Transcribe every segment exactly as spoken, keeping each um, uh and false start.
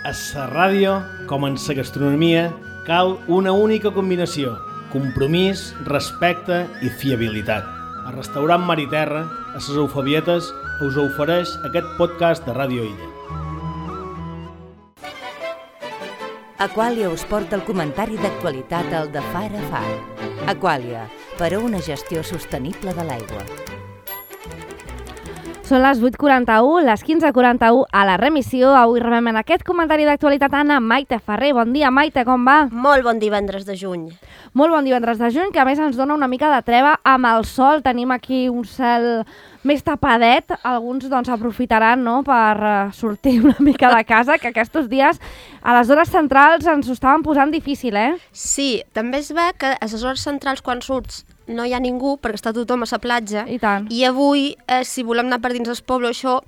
A la ràdio, com en la gastronomia, cal una única combinació: compromís, respecte i fiabilitat. El restaurant Mar i Terra, a les Eufabietes, us ofereix aquest podcast de Ràdio Illa. Aquàlia us porta el comentari d'actualitat al de far a far. Aquàlia, per a una gestió sostenible de l'aigua. Són les vuit quaranta-u, les quinze quaranta-u a la remissió. Avui rebem en aquest comentari d'actualitat Anna Maite Ferrer. Bon dia, Maite, com va? Molt bon divendres de juny. Molt bon divendres de juny, que a més ens dona una mica de treva amb el sol. Tenim aquí un cel més tapadet. Alguns doncs aprofitaran, no?, per uh, sortir una mica de casa, que aquests dies a les hores centrals ens ho estaven posant difícil, eh? Sí, també es ve que a les hores centrals quan surts no hi ha ningú perquè està tothom a la platja. I tant. I avui, eh, si volem anar per dins el poble, això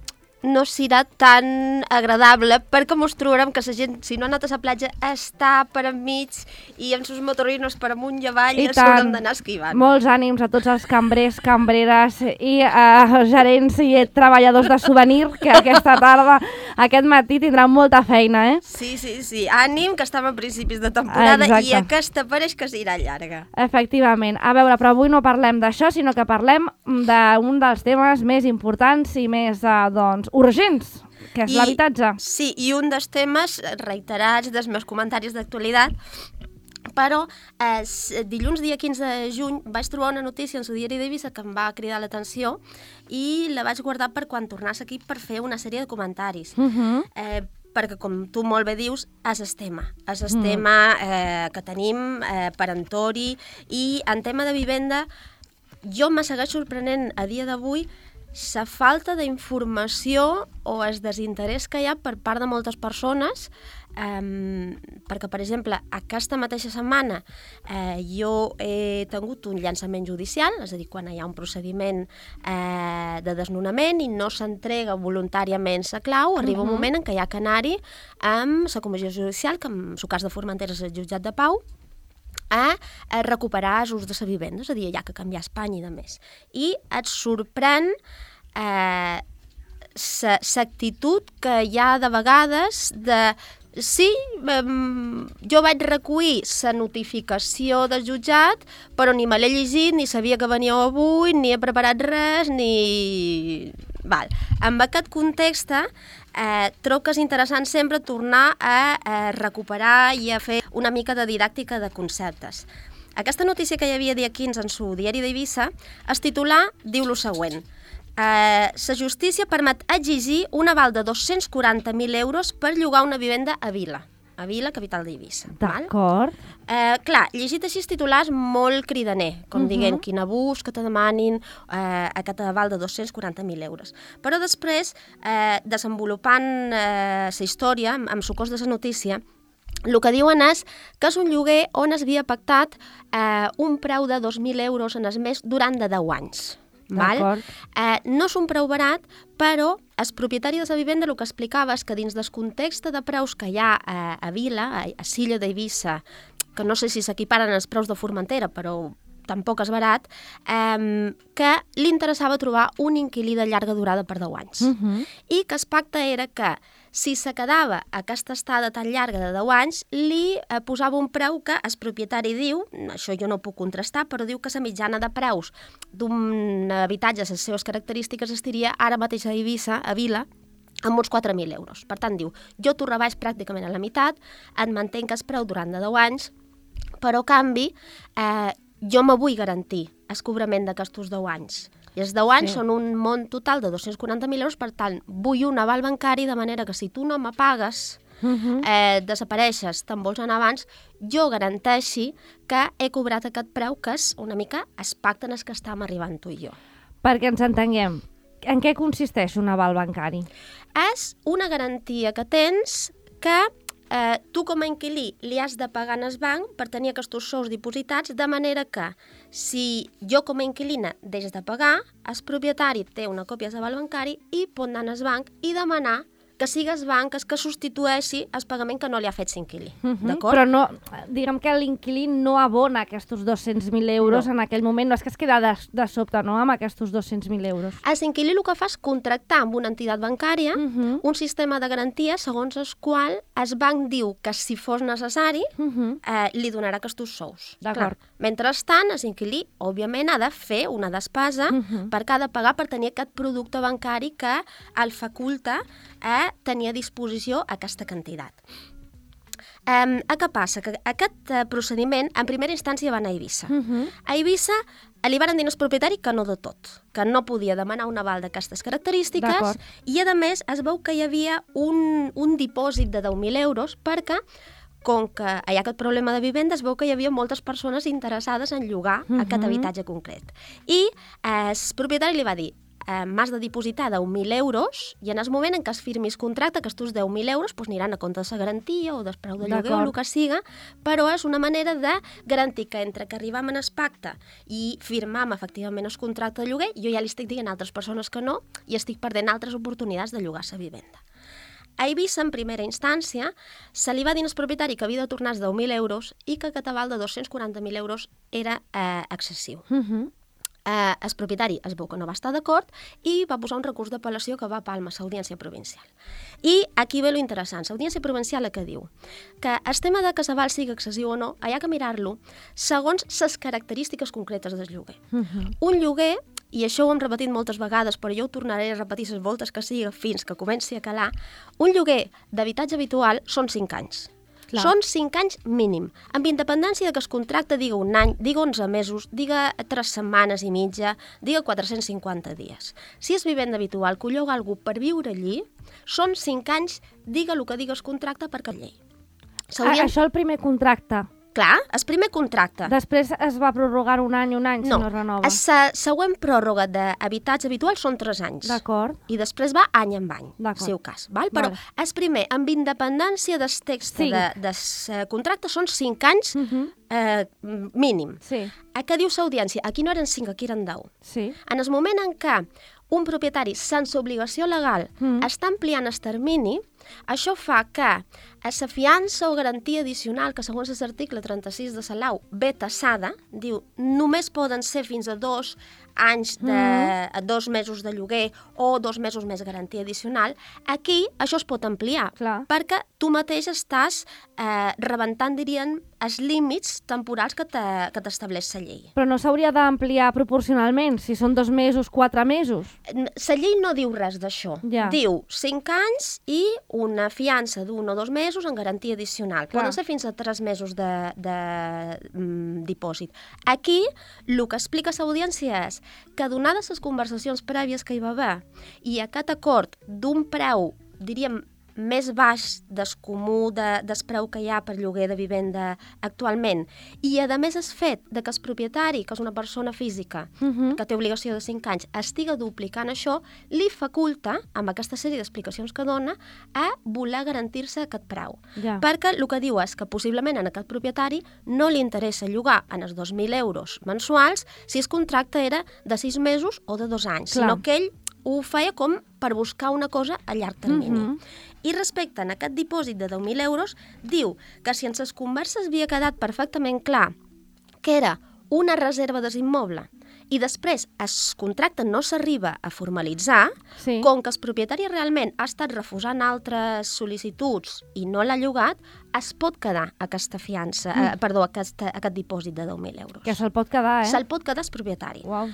no serà tan agradable perquè mos trobarem que la gent, si no ha anat a la platja, està per enmig i amb els motorinos per amunt i avall i s'haurem d'anar esquivant. Molts ànims a tots els cambrers, cambreres i uh, gerents i treballadors de souvenir que aquesta tarda, aquest matí, tindran molta feina, eh? Sí, sí, sí. Ànim, que estem a principis de temporada. Exacte. I aquesta pareix que serà llarga. Efectivament. A veure, però avui no parlem d'això, sinó que parlem d'un dels temes més importants i més, uh, doncs, urgents, que és l'habitatge. Sí, i un dels temes reiterats dels meus comentaris d'actualitat, però eh, dilluns dia quinze de juny vaig trobar una notícia en el diari d'Eivissa que em va cridar l'atenció i la vaig guardar per quan tornàs aquí per fer una sèrie de comentaris. Uh -huh. eh, perquè, com tu molt bé dius, és el tema. És el mm. tema eh, que tenim eh, perentori i en tema de vivenda jo me segueix sorprenent a dia d'avui la falta d'informació o el desinterès que hi ha per part de moltes persones, eh, perquè, per exemple, aquesta mateixa setmana eh, jo he tingut un llançament judicial, és a dir, quan hi ha un procediment eh, de desnonament i no s'entrega voluntàriament la clau, arriba uh -huh. un moment en què hi ha que anar-hi amb la comissió judicial, que en el cas de Formentera és el jutjat de Pau, a, a recuperar els ús de la vivenda, és a dir, hi ha que canviar Espanya i de més. I et sorprèn eh, l'actitud que hi ha de vegades de sí, um, jo vaig recollir la notificació del jutjat, però ni me l'he llegit, ni sabia que veníeu avui, ni he preparat res, ni... Val. En aquest context, eh, trobo que és interessant sempre tornar a, a recuperar i a fer una mica de didàctica de conceptes. Aquesta notícia que hi havia dia quinze en su diari d'Eivissa, es titular, diu lo següent: Eh, la justícia permet exigir un aval de dos-cents quaranta mil euros per llogar una vivenda a Vila, a Vila, capital d'Eivissa. D'acord. Eh, clar, llegit així els titulars molt cridaner, com uh -huh. diguent quin abús que te demanin eh, aquest aval de dos-cents quaranta mil euros. Però després, eh, desenvolupant eh, la història, amb, amb socors de la notícia, el que diuen és que és un lloguer on es havia pactat eh, un preu de dos mil euros en el mes durant de deu anys. Val? Eh, no és un preu barat, però el propietari de la vivenda el que explicava és que dins del context de preus que hi ha a, a Vila, a, a Silla d'Eivissa, que no sé si s'equiparen els preus de Formentera, però tampoc és barat, eh, que li interessava trobar un inquilí de llarga durada per deu anys. Uh -huh. I que el pacte era que si se quedava aquesta estada tan llarga de deu anys, li eh, posava un preu que el propietari diu, això jo no puc contrastar, però diu que la mitjana de preus d'un habitatge a les seves característiques estiria ara mateix a Eivissa, a Vila, amb uns quatre mil euros. Per tant, diu, jo t'ho rebaix pràcticament a la meitat, et mantenc el preu durant de deu anys, però a canvi eh, jo me vull garantir el cobrament d'aquests deu anys. I els deu anys sí. són un mont total de dos-cents quaranta mil euros, per tant, vull un aval bancari de manera que si tu no me pagues, uh -huh. eh, desapareixes, te'n vols anar abans, jo garanteixi que he cobrat aquest preu, que és una mica el pacte en el que estàvem arribant tu i jo. Perquè ens entenguem, en què consisteix un aval bancari? És una garantia que tens que Eh, tu com a inquilí li has de pagar en el banc per tenir aquests sous dipositats, de manera que si jo com a inquilina deix de pagar, el propietari té una còpia de l'aval bancari i pot anar al banc i demanar que que sigues banques que substitueixi el pagament que no li ha fet l'inquilí. Uh -huh. D'acord? Però no, diguem que l'inquilí no abona aquests dos-cents mil euros No. en aquell moment, no és que es queda de, de sobte, no?, amb aquests dos-cents mil euros. L'inquilí el que fa és contractar amb una entitat bancària Uh -huh. un sistema de garantia segons el qual el banc diu que si fos necessari Uh -huh. eh, li donarà aquests sous. D'acord. Clar, mentrestant, l'inquilí, òbviament, ha de fer una despesa Uh -huh. per cada pagar per tenir aquest producte bancari que el faculta a tenir a disposició aquesta quantitat. Um, què passa? Que aquest uh, procediment, en primera instància, va anar a Eivissa. Uh -huh. A Eivissa li van dir al propietari que no de tot, que no podia demanar un aval d'aquestes característiques D'acord. i, a més, es veu que hi havia un, un dipòsit de deu mil euros perquè, com que hi ha aquest problema de vivenda, es veu que hi havia moltes persones interessades en llogar Uh-huh. aquest habitatge concret. I eh, el propietari li va dir eh, m'has de dipositar deu mil euros i en el moment en què es firmi el contracte, aquests deu mil euros pues, aniran a compte de la garantia o del preu de lloguer o el que siga, però és una manera de garantir que entre que arribam en el pacte i firmam efectivament el contracte de lloguer, jo ja li estic dient a altres persones que no i estic perdent altres oportunitats de llogar la vivenda. A Eivissa, en primera instància, se li va dir al propietari que havia de tornar els deu mil euros i que aquest aval de dos-cents quaranta mil euros era eh, excessiu. Uh -huh. Eh, el propietari es veu que no va estar d'acord i va posar un recurs d'apel·lació que va a Palma, l'Audiència Provincial. I aquí ve lo interessant. L'Audiència Provincial que diu que el tema de que l'aval sigui excessiu o no, hi ha que mirar-lo segons les característiques concretes del lloguer. Uh -huh. Un lloguer, i això ho hem repetit moltes vegades, però jo ho tornaré a repetir les voltes que sigui fins que comenci a calar, un lloguer d'habitatge habitual són cinc anys. Clar. Són cinc anys mínim, amb independència de que es contracte diga un any, diga onze mesos, diga tres setmanes i mitja, diga quatre-cents cinquanta dies. Si és vivenda habitual que ho lloga algú per viure allí, són cinc anys, diga el que diga el contracte per cap llei. Ah, això el primer contracte. Clar, el primer contracte. Després es va prorrogar un any, un any, no, si no es renova. La següent pròrroga d'habitatge habitual són tres anys. D'acord. I després va any en any, en el seu cas. Val? Però vale. el primer, amb independència del text Sí. de, de uh, contracte, són cinc anys Uh -huh. eh, mínim. Sí. A què diu l'audiència? Aquí no eren cinc, aquí eren deu. Sí. En el moment en què un propietari sense obligació legal Mm. està ampliant el termini, això fa que a la fiança o garantia addicional, que segons l'article trenta-sis de la Lau ve tassada, diu només poden ser fins a dos anys de Mm. dos mesos de lloguer o dos mesos més garantia addicional, aquí això es pot ampliar, Clar. perquè tu mateix estàs eh, rebentant, dirien, els límits temporals que t'estableix la llei. Però no s'hauria d'ampliar proporcionalment, si són dos mesos, quatre mesos? La llei no diu res d'això. Ja. Diu cinc anys i una fiança d'un o dos mesos en garantia addicional. Clar. Poden ser fins a tres mesos de, de mm, dipòsit. Aquí, el que explica l'audiència és que, donades les conversacions prèvies que hi va haver i aquest acord d'un preu, diríem, més baix del comú de, del preu que hi ha per lloguer de vivenda actualment, i a més el fet de que el propietari, que és una persona física, Uh -huh. que té obligació de cinc anys, estiga duplicant això, li faculta, amb aquesta sèrie d'explicacions que dona, a voler garantir-se aquest preu. Ja. Perquè el que diu és que possiblement a aquest propietari no li interessa llogar en els dos mil euros mensuals si el contracte era de sis mesos o de dos anys, Clar. sinó que ell ho feia com per buscar una cosa a llarg termini. Mhm. I respecte a aquest dipòsit de deu mil euros, diu que si en les converses havia quedat perfectament clar que era una reserva desimmoble i després el contracte no s'arriba a formalitzar, Sí. com que el propietari realment ha estat refusant altres sol·licituds i no l'ha llogat, es pot quedar aquesta fiança, Mm. eh, perdó, aquest, aquest dipòsit de deu mil euros. Que se'l pot quedar, eh? Se'l pot quedar el propietari. Uau.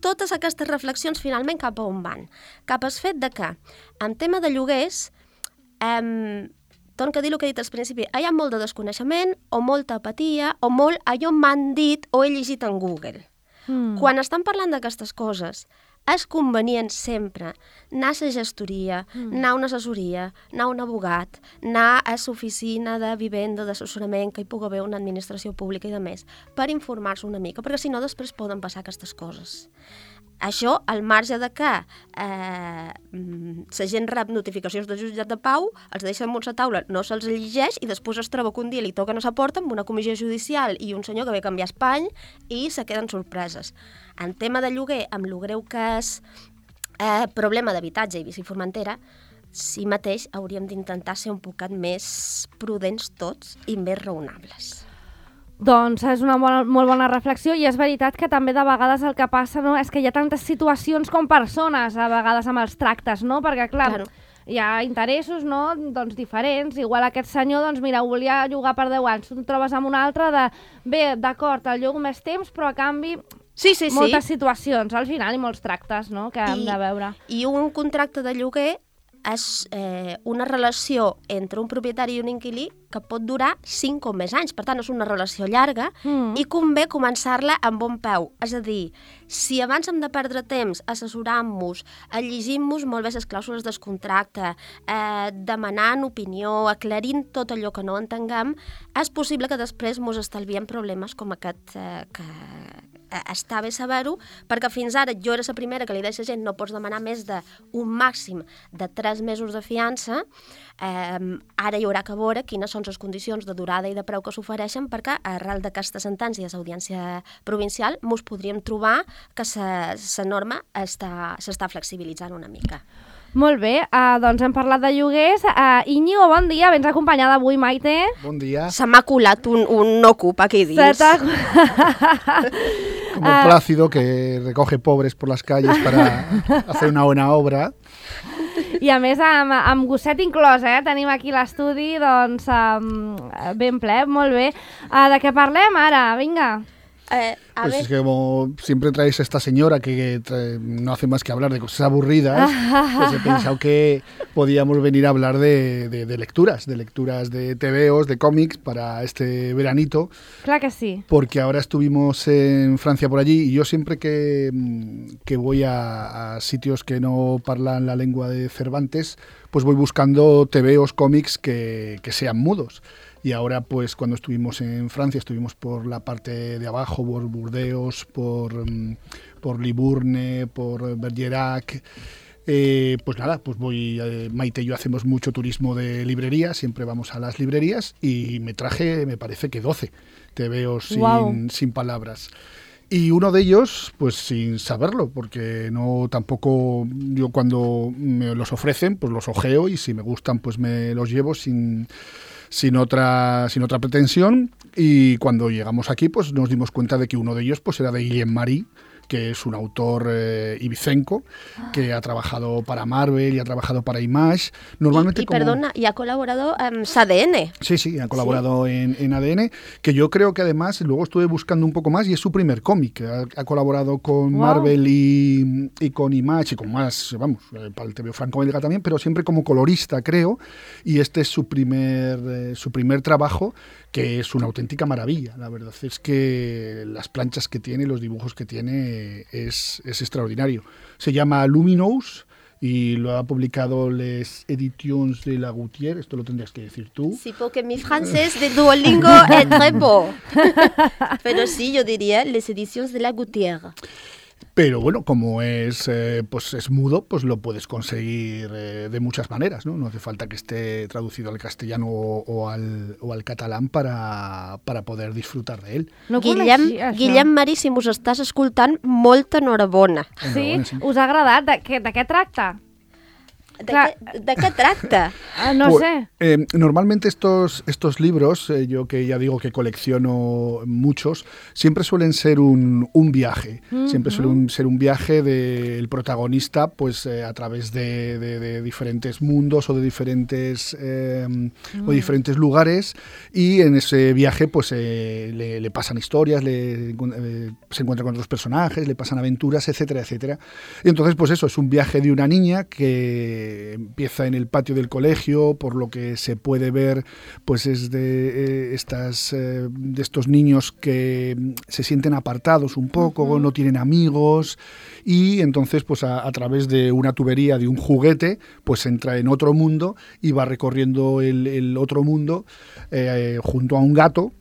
Totes aquestes reflexions finalment cap a on van? Cap al fet de que, en tema de lloguers, eh, torno a dir el que he dit al principi, hi ha molt de desconeixement, o molta apatia, o molt allò m'han dit o he llegit en Google. Mm. Quan estan parlant d'aquestes coses, és convenient sempre anar a la gestoria, Mm. anar a una assessoria, anar a un abogat, anar a l'oficina de vivenda, d'assessorament, que hi pugui haver una administració pública i de més, per informar-se una mica, perquè si no després poden passar aquestes coses. Això, al marge de que eh, la gent rep notificacions del jutjat de pau, els deixen en una taula, no se'ls llegeix i després es troba que un dia li toquen a la porta amb una comissió judicial i un senyor que ve a canviar espany i se queden sorpreses. En tema de lloguer, amb el greu que és eh, problema d'habitatge i Eivissa i Formentera, sí mateix hauríem d'intentar ser un poquet més prudents tots i més raonables. Doncs és una bona, molt bona reflexió i és veritat que també de vegades el que passa, no, és que hi ha tantes situacions com persones a vegades amb els tractes, no? Perquè clar, claro, hi ha interessos, no, doncs diferents. Igual aquest senyor, doncs mira, ho volia llogar per deu anys, tu et trobes amb un altre de, bé, d'acord, el llogo més temps, però a canvi sí, sí, moltes sí. situacions al final i molts tractes, no?, que hem I, de veure. I un contracte de lloguer és eh, una relació entre un propietari i un inquilí que pot durar cinc o més anys. Per tant, és una relació llarga mm. i convé començar-la amb bon peu. És a dir, si abans hem de perdre temps assessorant-nos, llegint-nos molt bé les clàusules del contracte, eh, demanant opinió, aclarint tot allò que no entenguem, és possible que després ens estalviem problemes com aquest eh, que està bé saber-ho, perquè fins ara jo era la primera que li deia a gent no pots demanar més d'un màxim de tres mesos de fiança, eh, ara hi haurà que veure quines són les condicions de durada i de preu que s'ofereixen, perquè arrel d'aquesta sentència d'Audiència Provincial mos podríem trobar que la norma s'està flexibilitzant una mica. Molt bé, uh, doncs hem parlat de lloguers. Uh, Íñigo, bon dia, vens acompanyada avui, Maite. Bon dia. Se m'ha colat un, un ocup aquí dins. Como Plácido, que recoge pobres por las calles para hacer una buena obra. I a més amb, amb gosset inclòs, eh? Tenim aquí l'estudi, doncs, um, ben ple, molt bé. Uh, de què parlem ara? Vinga. Eh, a pues ver. Es que como siempre traéis a esta señora que trae, no hace más que hablar de cosas aburridas, pues he pensado que podíamos venir a hablar de, de, de lecturas, de lecturas de tebeos, de cómics para este veranito. Claro que sí. Porque ahora estuvimos en Francia por allí y yo siempre que, que voy a, a sitios que no hablan la lengua de Cervantes, pues voy buscando tebeos, cómics que, que sean mudos. Y ahora, pues, cuando estuvimos en Francia, estuvimos por la parte de abajo, por Burdeos, por, por Libourne, por Bergerac. Eh, pues nada, pues voy, eh, Maite y yo hacemos mucho turismo de librerías, siempre vamos a las librerías y me traje, me parece que doce tebeos sin, wow. sin palabras. Y uno de ellos, pues sin saberlo, porque no tampoco, yo cuando me los ofrecen, pues los ojeo y si me gustan, pues me los llevo sin... Sin otra, sin otra pretensión, y cuando llegamos aquí pues nos dimos cuenta de que uno de ellos pues era de Guillem Marí, que es un autor eh, ibicenco, que ha trabajado para Marvel y ha trabajado para Image. Normalmente y, y como... perdona, y ha colaborado en um, A D N. Sí, sí, ha colaborado sí. En, en A D N, que yo creo que además, luego estuve buscando un poco más y es su primer cómic. Ha, ha colaborado con wow. Marvel y, y con Image y con más, vamos, para el T V O franco-belga también, pero siempre como colorista, creo, y este es su primer, eh, su primer trabajo, que es una auténtica maravilla. La verdad es que las planchas que tiene, los dibujos que tiene, Es, es extraordinario. Se llama Luminous y lo ha publicado les Editions de la Gautier. Esto lo tendrías que decir tú. Sí, porque mi francés de Duolingo es très beau. Pero sí, yo diría les Editions de la Gautier. Pero bueno, como es, eh, pues es mudo, pues lo puedes conseguir eh, de muchas maneras, ¿no? No hace falta que esté traducido al castellano o, o, al, o al catalán para, para poder disfrutar de él. No Guillem, Guillem Marí, si mos estàs escoltant, molta enhorabona. Sí? sí? Us ha agradat? De, què, de què tracta? ¿De qué, ¿De qué tracta? Ah, no pues, sé. Eh, normalmente estos, estos libros, eh, yo que ya digo que colecciono muchos, siempre suelen ser un, un viaje. Uh-huh. Siempre suelen ser un viaje del protagonista pues eh, a través de, de, de diferentes mundos o de diferentes, eh, uh-huh. o diferentes lugares, y en ese viaje pues eh, le, le pasan historias, le, eh, se encuentra con otros personajes, le pasan aventuras, etcétera, etcétera. Y entonces pues eso, es un viaje de una niña que empieza en el patio del colegio, por lo que se puede ver, pues es de, eh, estas, eh, de estos niños que se sienten apartados un poco, uh-huh. no tienen amigos, y entonces pues a, a través de una tubería de un juguete, pues entra en otro mundo y va recorriendo el, el otro mundo eh, junto a un gato.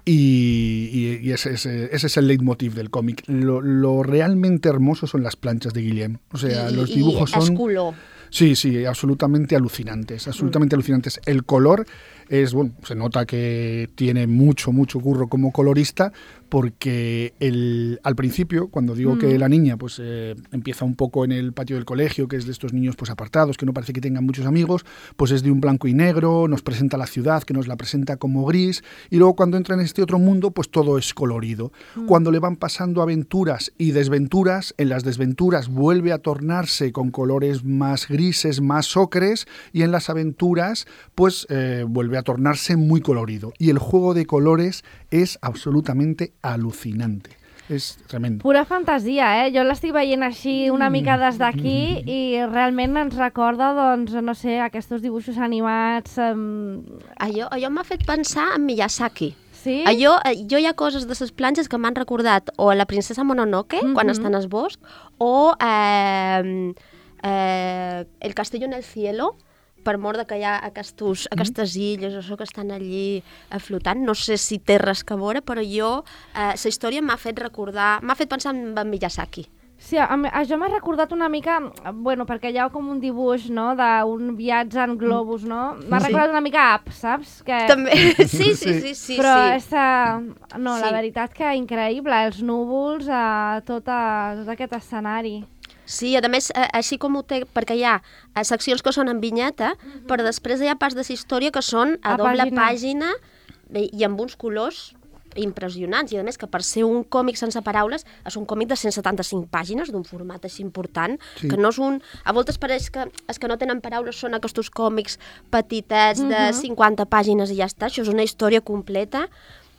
Y, y, y ese, ese, ese es el leitmotiv del cómic. Lo, lo realmente hermoso son las planchas de Guillem. O sea, y, los dibujos y son... Esculo. Sí, sí, absolutamente alucinantes, absolutamente mm. alucinantes. El color es, bueno, se nota que tiene mucho, mucho curro como colorista, porque el, al principio, cuando digo mm. que la niña pues eh, empieza un poco en el patio del colegio, que es de estos niños pues apartados, que no parece que tengan muchos amigos, pues es de un blanco y negro, nos presenta la ciudad, que nos la presenta como gris, y luego cuando entra en este otro mundo, pues todo es colorido. Mm. Cuando le van pasando aventuras y desventuras, en las desventuras vuelve a tornarse con colores más grises, más ocres, y en las aventuras pues eh, vuelve a tornarse muy colorido. Y el juego de colores és absolutamente alucinante. És tremendo. Pura fantasia, eh? Jo l'estic veient així una mica des d'aquí i realment ens recorda, doncs, no sé, aquests dibuixos animats... Um... Allò, allò m'ha fet pensar en Miyazaki. Sí? Allò, jo hi ha coses de les planxes que m'han recordat o la princesa Mononoke, mm-hmm. quan està en el bosc, o eh, eh, El castillo en el cielo, per mort de que hi ha aquestos, mm. aquestes illes o això que estan allí flotant. No sé si té res que veure, però jo, eh, la història m'ha fet recordar, m'ha fet pensar en Miyazaki. Sí, això m'ha recordat una mica, bueno, perquè hi ha com un dibuix, no?, d'un viatge en globus, no? M'ha sí. recordat una mica Up, saps? Que... També, sí, sí, sí, sí. Però sí. és, uh, no, sí. la veritat que increïble, els núvols, uh, tot, uh, tot aquest escenari. Sí, a més, així com ho té, perquè hi ha seccions que són en vinyeta, mm-hmm. però després hi ha parts de la història que són a, a doble pàgina. pàgina i amb uns colors impressionants. I a més que per ser un còmic sense paraules és un còmic de cent setanta-cinc pàgines, d'un format així important, sí. que no és un... A voltes pareix que els que no tenen paraules són aquests còmics petitets de mm-hmm. cinquanta pàgines i ja està. Això és una història completa,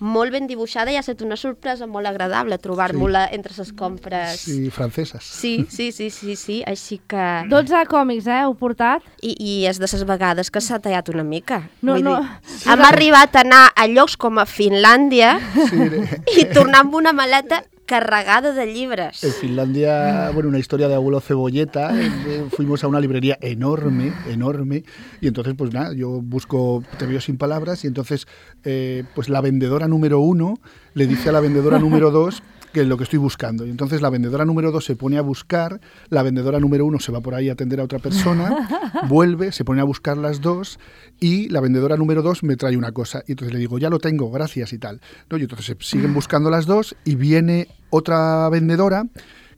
molt ben dibuixada, i ha estat una sorpresa molt agradable trobar-me-la sí. entre les compres. Sí, franceses. Sí, sí, sí, sí, sí, així que... dotze còmics, eh, heu portat? I, i és de les vegades que s'ha tallat una mica. No, Vull no. dir, sí, hem no. arribat a anar a llocs com a Finlàndia sí. i tornar amb una maleta carregada de libres. En Finlandia, bueno, una historia de abuelo Cebolleta, eh, fuimos a una librería enorme, enorme, y entonces, pues nada, yo busco Te veo sin palabras, y entonces, eh, pues la vendedora número uno le dice a la vendedora número dos que es lo que estoy buscando. Y entonces la vendedora número dos se pone a buscar, la vendedora número uno se va por ahí a atender a otra persona, vuelve, se pone a buscar las dos, y la vendedora número dos me trae una cosa. Y entonces le digo, ya lo tengo, gracias y tal. ¿No? Y entonces se siguen buscando las dos y viene otra vendedora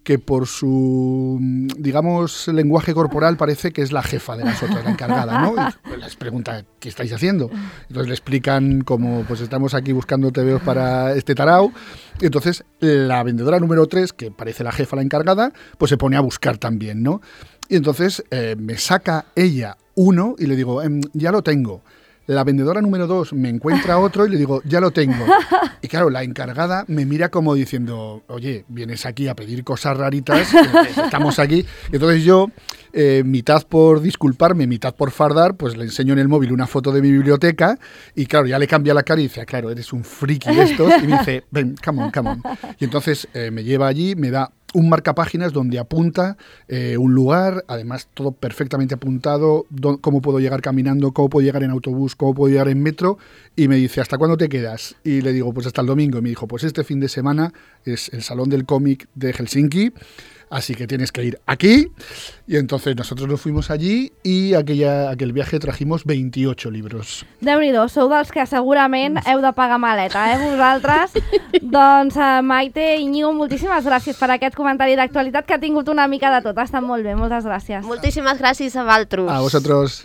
que por su, digamos, lenguaje corporal parece que es la jefa de las otras, la encargada, ¿no? Y les pregunta, ¿qué estáis haciendo? Entonces le explican cómo, pues estamos aquí buscando tebeos para este tarao. Y entonces la vendedora número tres, que parece la jefa, la encargada, pues se pone a buscar también, ¿no? Y entonces eh, me saca ella uno y le digo, ehm, ya lo tengo. La vendedora número dos me encuentra otro y le digo, ya lo tengo. Y claro, la encargada me mira como diciendo, oye, vienes aquí a pedir cosas raritas, estamos aquí. Y entonces yo, eh, mitad por disculparme, mitad por fardar, pues le enseño en el móvil una foto de mi biblioteca y claro, ya le cambia la cara y dice, claro, eres un friki de estos. Y me dice, ven, come on, come on. Y entonces eh, me lleva allí, me da un marcapáginas donde apunta eh, un lugar, además todo perfectamente apuntado, do, cómo puedo llegar caminando, cómo puedo llegar en autobús, cómo puedo llegar en metro, y me dice, ¿hasta cuándo te quedas? Y le digo, pues hasta el domingo. Y me dijo, pues este fin de semana es el Salón del Cómic de Helsinki, así que tienes que ir aquí. Y entonces nosotros nos fuimos allí i aquella, aquell viaje trajimos veintiocho libros. Déu-n'hi-do, sou dels que segurament heu de pagar maleta, eh, vosaltres? Doncs uh, Maite i Íñigo, moltíssimes gràcies per aquest comentari d'actualitat que ha tingut una mica de tot. Ha estat molt bé, moltes gràcies. Moltíssimes gràcies a vosaltres. A vosotros.